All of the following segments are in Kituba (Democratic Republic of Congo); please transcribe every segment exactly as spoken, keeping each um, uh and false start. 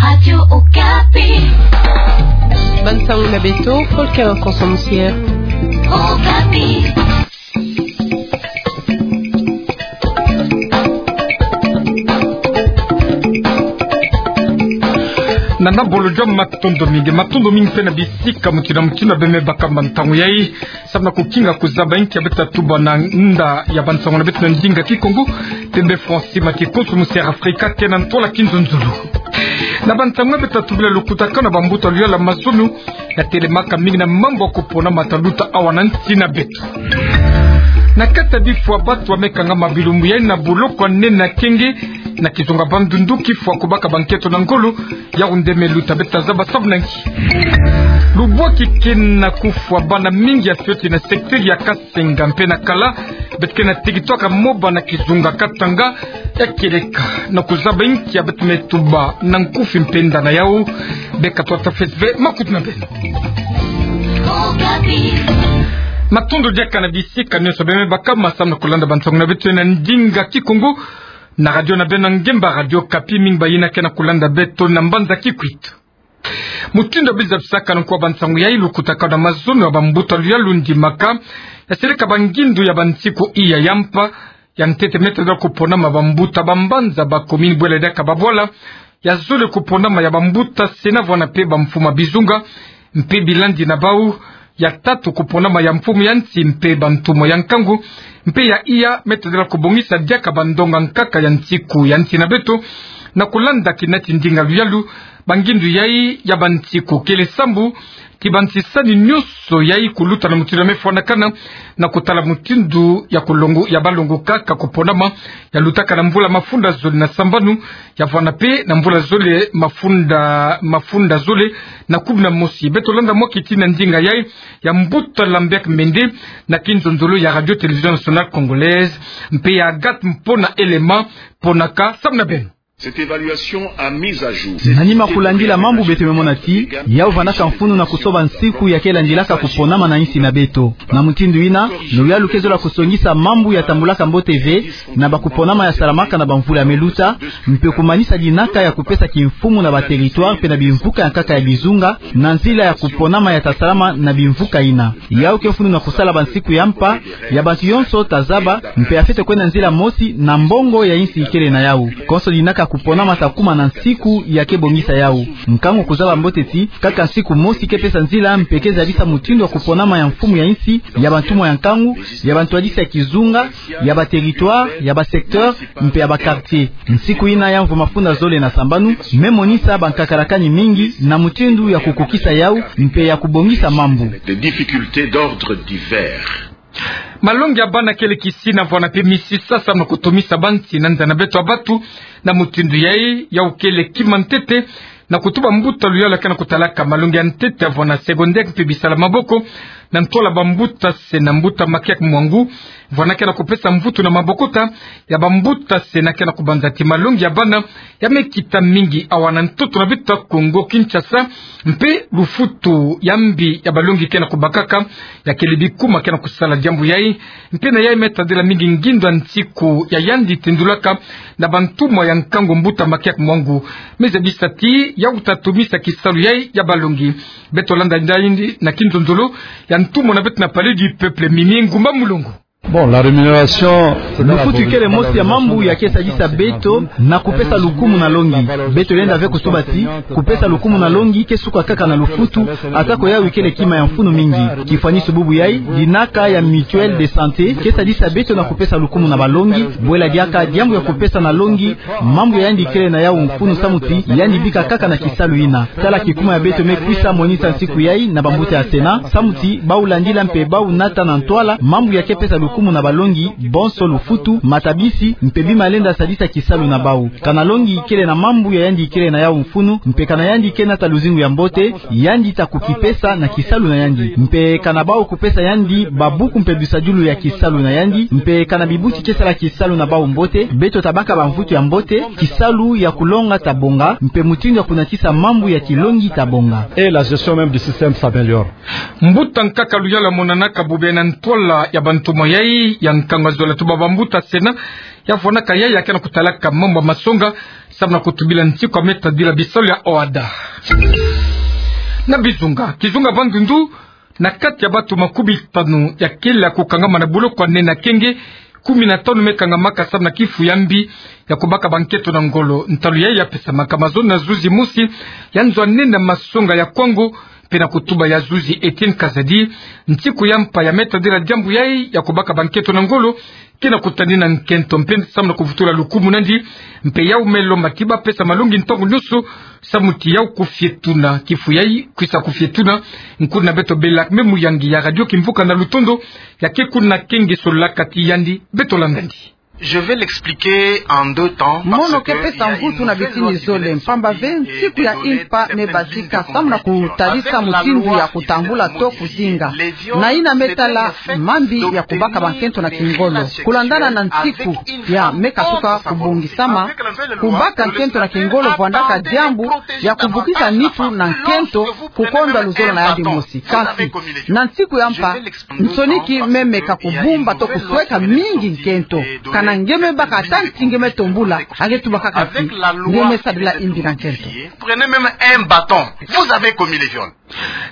Radio Okapi. Bansango na beto, Volker Konsomusier. Okapi. Nana bolo jam, matondo mingi, matondo mingi mpe na bisika mutindu na mutindu beme baka bantangu yai. Samu na kukinga kuzaba inki ya beto tatuba na nda ya bansango na beto na ndinga Kikongo, pembe Francis Mati Konsomusier Afrika ke na ntwala Kinzonzolo. Na bansango na beto tatubila lukutakano na bambuta luyala mazono, ya telemaka mingi na mambu ya kupona mata luta awa na nsi na beto. Na kati ya bifwa bantu bameka ngama bilumbu yai na boloko ya nene ya Kenge, na kizunga Bandundu, kifwa kubaka bankento na ngolo, yau nde me luta. Beto tazaba samu na nki. Lubwaki ke na kufwa bana mingi ya fioti na secteur ya Kasenga mpe na Kala, beto ke na tikitwaka moba na kizunga Katanga, ya kieleka na kuzaba inki ya beto me tuba na nkufi mpe nda na yau. Beka twata festival, makuta na beno. Matondo diaka na bisika nyonso beme baka ma samu na kulanda bansango na beto na ndinga Kikongo, na radio na beno ngemba, Radio Okapi. Mingi bayina ke na kulanda beto na mbanza Kikwit. Mutindu ya bizabisaka na nko ya bansango yai, lukutakano na mazono ya bambuta luyalu ndimaka, ya seleka bangindu ya bansiku iya ya mpa. Ya ntete, me tadila kuponama bambuta ba mbanza, ba commune, bwela diaka ba bwala. Ya zole, kuponama ya bambuta sena, vwanda mpe bamfumu ya bizunga mpe bilandi na bau. Ya tatu, kuponama ya mfumu ya nsi mpe bantumwa ya nkangu. Mpe ya iya, me tadila kubongisa diaka bandonga nkaka ya nsiku ya nsi na beto, na kulanda kina ti ndinga luyalu. Bangindu yai ya bansiku kele sambu, ti bansisani nyonso yai kuluta na mutindu ya me fwanakana, na kutala mutindu ya kulongo, ya balongoka ka kuponama. Ya lutaka na mvula mafunda zole na sambanu, ya vwanda mpe na mvula zole mafunda, mafunda zole na kumi na mosi. Beto landa mwa kiti na ndinga yai ya mbuta Lambert Mende, na Kinzonzolo ya Radio Télévision Nationale Congolaise, mpe ya Agathe Mpona Elema. Ponaka, samu na beno. Cette évaluation a mis à jour. Na nima kulandila mambu beto me mona ti, yau vwandaka mfunu na kusoba nsiku ya ke landilaka kuponama na nsi na beto. Na mutindu yina, luyalu ke zola kusongisa mambu ya tambulaka mbote ve na bakuponama ya salamaka na bamvula ya me luta, mpe kumanisa dinaka ya kupesa kimfumu na ba territoire mpe na bimvuka ya nkaka ya bizunga, na nzila ya kuponama ya ta salama na bimvuka yina. Yau ke mfunu na kusala bansiku ya mpa, ya bantu yonso ta zaba, mpe ya fwete kwenda nzila mosi na mbongo ya insi ikele na yau. Konso dinaka kuponama ta kuma na nsiku ya ke bongisa yau. Nkangu kuzaba mbote ti, kaka nsiku mosi ke pesa nzila mpe ke zabisa mutindu ya kuponama ya mfumu ya insi, ya bantumwa ya nkangu, ya bantwadisi ya kizunga, ya ba territoire, ya ba secteur, mpe ya ba quartier. Nsiku yina ya mvu mafunda zole na sambanu, me monisa bankakalakani mingi na mutindu ya kukukisa yau, mpe ya kubongisa mambu. Des difficultés d'ordre divers. Malongi ya bana kele kisina, vwanda mpe misisa samu na kutomisa bansi na nza na beto ya bantu. Na mutindu yai, yau kele kima ntete na kutuba mbuta luyalu ke na kutalaka malongi ya ntete ya vwanda secondaire mpe bisala maboko, na ntwala bambuta sena, mbuta Makiak Mwangu, vwanda ke na kupesa mvutu na mabokota ya bambuta sena ke na kubanza ti malongi ya bana ya me kita mingi awa na ntoto na beto ya Kongo Kinshasa, mpe lufutu ya mbi ya balongi ke na kubakaka, ya kele bikuma ke na kusala diambu yai. Mpe na yai me tadila mingi ngindu ya nsiku ya yandi tendulaka na bantumwa ya nkangu, mbuta Makiak Mwangu. Me zabisa ti yau ta tomisa kisalu yai ya balongi. Beto landa nda yandi na Kinzonzolo ya ntumwa na beto na Palais du Peuple, Mimi Ngumba Mulongo. Bon, la rémunération, lufutu ikele mosi ya mambu ya ke sadisa beto na kupesa lukumu na longi. Beto lenda ve kutuba ti, kupesa lukumu na longi ke suka kaka na lufutu, atako yau ikele kima ya mfunu mingi. Kifwanisu bubu yai, dinaka ya mutuelle de santé ke sadisa beto na kupesa lukumu na balongi, bwela diaka diambu ya kupesa na longi, mambu ya yandi ikele na yau mfunu samu ti yandi bika kaka na kisalu yina. Tala kikuma ya beto me kwisa monisa nsiku yai na bambuta ya sena, samu ti bau landila mpe bau nata na ntwala mambu ya ke pesa lukumu na balongi, bonso lufutu, matabisi, mpe bima lenda sadisa kisalu na bau. Kana longi ikele na mambu ya yandi ikele na yau mfunu, mpe kana yandi ke nata luzingu ya mbote, yandi ta kukipesa na kisalu na yandi. Mpe kana bau kupesa yandi babuku mpe bisadulu ya kisalu na yandi, mpe kana bibuti ke sala kisalu na bau mbote, beto ta baka bamvutu ya mbote, kisalu ya kulonga ta bonga, mpe mutindu ya kunatisa mambu ya kilongi ta bonga. Et la gestion même du système s'améliore. Mbuta nkaka luyalu monanaka bobele na ntwala ya bantumwa yai, ya nkangu ya zola, tuba bambuta Sénat ya fwanaka yayi ya ke na kutalaka mambu ya masonga samu na kutubila nsiku ya me tadila bisalu ya OHADA. Na bizunga, kizunga Bandundu, na kati ya batu makumi tanu ya kele ya kukangama na buloko ya nene ya kenge, kumi na tanu me kangamaka samu na kifu ya mbi ya kubaka bankento na ngolo. Ntalu yayi ya pesamaka mazono na zuzi mosi ya nzo ya nene ya masonga ya Kwango, mpe na kutuba ya zuzi Étienne Kazadi, nsiku ya mpa ya me tadila diambu yayi ya kubaka bankento na ngolo ke na kutanina nkento mpe samu na kuvutula lukumu nandi. Mpe yau me lomba ti ba pesa malongi ntangu nionso samu ti yau kufietuna kifu yayi, kwisa kufietuna. Nkuna beto Bella Kme, muyangi ya Radio Kimvuka na Lutondo, ya ke kuna kenge, sololaka ti yandi. Beto landa ndi. Je vais l'expliquer en deux temps. Mono ke pesa mvutu na bitini zole, mpamba ve nsiku ya mpa me bazika samu na kutadisa mutindu ya kutambula to kuzinga. Na yina me tala mambi ya kubaka bankento na kingolo. Kulandana na nsiku ya me katuka kubongisama, kubaka nkento na kingolo vwandaka diambu ya kubukisa nitu na nkento kukondwa luzolo na yandi mosi. Kasi na nsiku ya mpa, nsoniki me meka kubumba to kusweka mingi nkento. Kana nge me baka ata nti nge me tombula, a nge tuba kaka ti nge me sadila imbi na nkento. Prenez même un bâton. Vous avez commis le viol.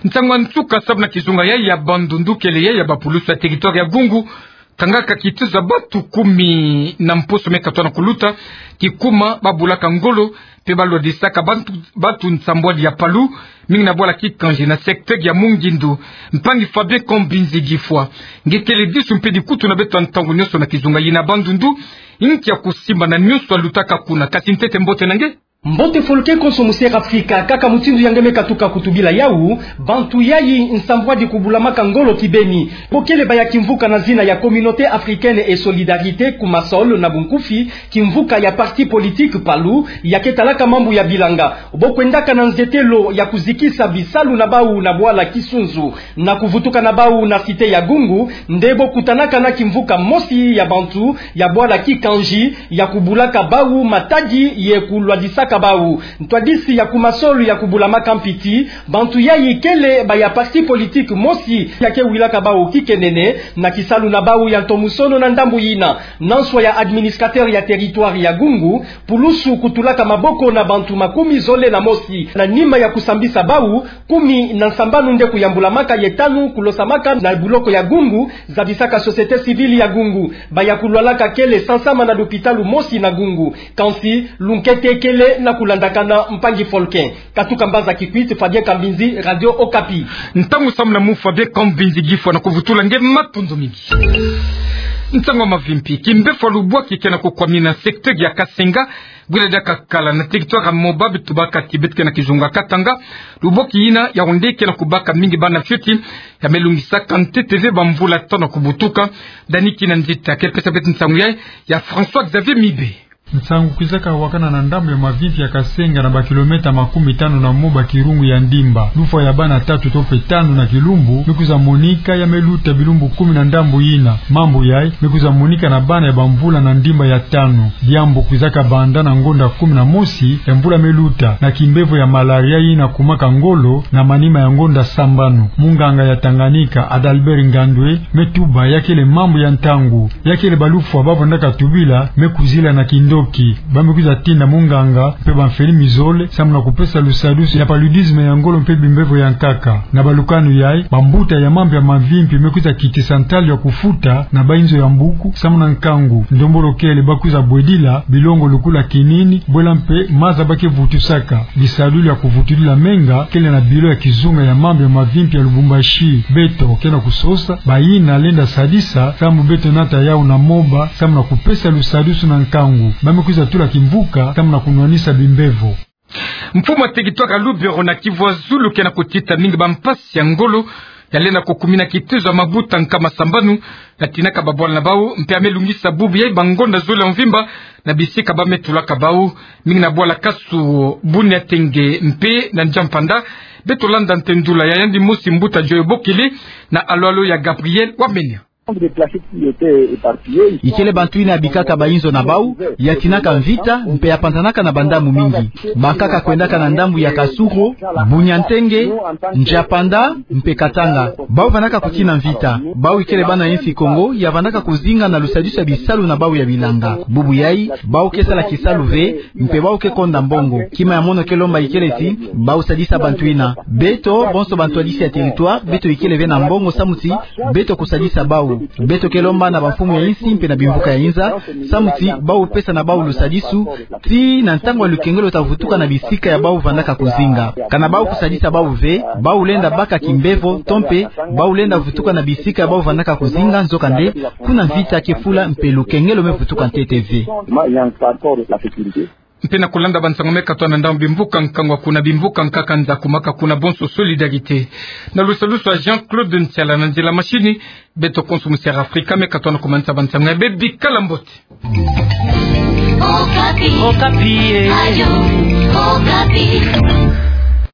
Ntangu ya nsuka samu na kizunga yayi ya Bandundu kele yayi ya bapulusu ya territoire ya Gungu, kangaka kituza batu kumi na mposo me katoa na kuluta, kikuma babulaka ngolo mpe balwadisaka bantu, batu nsambwadi ya Palu, mingi na bwala Kikanji na secteur ya Mungindu. Mpangi Fabien Kambinzi Gifwa, nge kele disu mpe dikutu na beto ya ntangu nionso na kizunga yina Bandundu, inki ya kusimba na nionso yalutaka kuna? Kasi ntete mbote na nge. Mbote Folke konso Musi Afrika, kaka mutindu ya nge me katuka kutubila yau, bantu yayi nsambwadi kubulamaka ngolo kibeni. Bo kele baya kimvuka na zina ya Communauté Africaine et Solidarité, COMASOL na bunkufi, kimvuka ya parti politique Palu, ya ke talaka mambu ya bilanga. Bo kwendaka na nzetelo ya kuzikisa bisalu na bau na bwala Kisunzu, na kuvutuka na bau na cité ya Gungu, nde bo kutanaka na kimvuka mosi ya bantu ya bwala Kikanji, ya kubulaka bau matadi ye kulwadisaka bau. Ntwadisi ya COMASOL ya kubulamaka mpi ti bantu yayi kele baya parti politique mosi ya ke wilaka bau kikenene na kisalu na bau ya ntomusono na ndambu yina. Na nswa ya administrateur ya territoire ya Gungu, pulusu kutulaka maboko na bantu makumi zole na mosi. Na nima ya kusambisa bau, kumi na nsambanu nde kuyambulamaka ye tanu kulosamaka na buloko ya Gungu, zabisaka société civile ya Gungu. Baya kulwalaka kele sansama na lupitalu mosi na Gungu. Kansi, lunkete kele na kulandakana. Mpangi Folke. Katuka mbanza Kikwit, Fabien Kambinzi, Radio Okapi. Ntangu samu na mu Fabien Kambinzi Gifwa na kuvutula nge, matondo mingi. Ntangu ya mavimpi, kimbevo ya lubwaki ke na kukwamina secteur ya Kasenga, bwila diaka kala na territoire ya Moba, beto tubaka ti beto ke na kizunga Katanga. Lubwaki yina yawu nde ke na kubaka mingi bana fioti, ya me lungisaka ntete ve bamvula tanu ya kubutuka. Dani Kinanzita ke pesa beto nsangu yayi, ya François Xavier Mibe. Nsangu kwizaka wakana na ndambu ya mavimpi ya Kasenga na ba kilomètre makumi tanu na Moba, kirungu ya Ndimba. Lufwa ya bana tatu to mpe tanu na kilumbu me kwiza monika, ya me luta bilumbu kumi na ndambu yina. Mambu yayi me kwiza monika na bana ya bamvula na Ndimba ya tanu. Diambu kwizaka banda na ngonda kumi na mosi ya mvula me luta, na kimbevo ya malaria yina kumaka ngolo na manima ya ngonda sambanu. Munganga ya Tanganyika, Adalbert Ngandwe, me tuba ya kele mambu ya ntangu. Ya kele balufwa ba vandaka tubila me kuzila na kindoki. Ba me kwiza tinda munganga mpe bamfeni mizole samu na kupesa lusadusu ya paludisme ya ngolo mpe bimbevo ya nkaka. Na balukanu yayi, bambuta ya mambu ya mavimpi me kwiza kitisa ntalu ya kufuta na bayinzo ya mbuku samu na nkangu. Ndombolo kele ba kwiza bwedila bilongo lukula kinini, bwela mpe maza ba ke vutusaka. Bisadulu ya kuvutudila menga kele na bilo ya kizunga ya mambu ya mavimpi ya Lubumbashi. Beto ke na kusosa bayina lenda sadisa samu beto nata yawu na Moba samu na kupesa lusadusu na nkangu. Ba me kwiza tula kimvuka samu na kunwanisa bimbevo. Mfumu ya territoire ya Lubero na Kivu ya Zulu ke na kutita mingi bampasi ya ngolo ya lenda kukumina kituza mabuta nkama sambanu, ya tinaka babwala na bau, mpe ya me lungisa bubu yayi bangonda zole ya mvimba na bisika ba me tulaka bau, mingi na bwala Kasu, Bunia, Tenge mpe na Ndjampanda. Beto landa ntendula ya yandi mosi mbuta Joyo Bokele na Alo Alo ya Gabriel Wamenya. Ikele bantu yina ya bikaka bayinzo na bau, ya tinaka mvita, mpe ya panzanaka na bandambu mingi. Bankaka kwendaka na ndambu ya Kasuro, Bunia-Ntenge, Ndjapanda, mpe Katanga. Bau vandaka kutina mvita. Bau ikele bana yinsi Kongo, ya vandaka kuzinga na lusadisu ya bisalu na bau ya bilanga. Bubu yayi, bau ke sala kisalu ve, mpe bau ke konda mbongo. Kima ya mono ke lomba ikele ti, bau sadisa bantu yina. Beto, bonso bantwadisi ya territoire, beto ikele ve na mbongo samu ti, beto kusadisa bau. Beto ke lomba na bamfumu ya yinsi mpe na bimvuka ya yinza, samu ti, bau pesa na bau lusadisu, tii na ntangu ya lukengelo ta vutuka na bisika ya bau vandaka kuzinga. Kana bau kusadisa bau ve, bau lenda baka kimbevo, to mpe, bau lenda vutuka na bisika ya bau vandaka kuzinga, nzokande, kuna mvita ke fula mpe lukengelo me vutuka ntete ve. Mpe na kulanda bansangu me katoa na ndambu bimvuka nkangu kuna bimvuka nkaka nza kumaka kuna bonso solidarité. Na lusalusu ya Jean-Claude Ntiala na nzila machine, beto konso musi Afrika me katoa na kumanisa bansangu ya bê, bikala mbote. Okapi. Okapi, eh. Radio Okapi.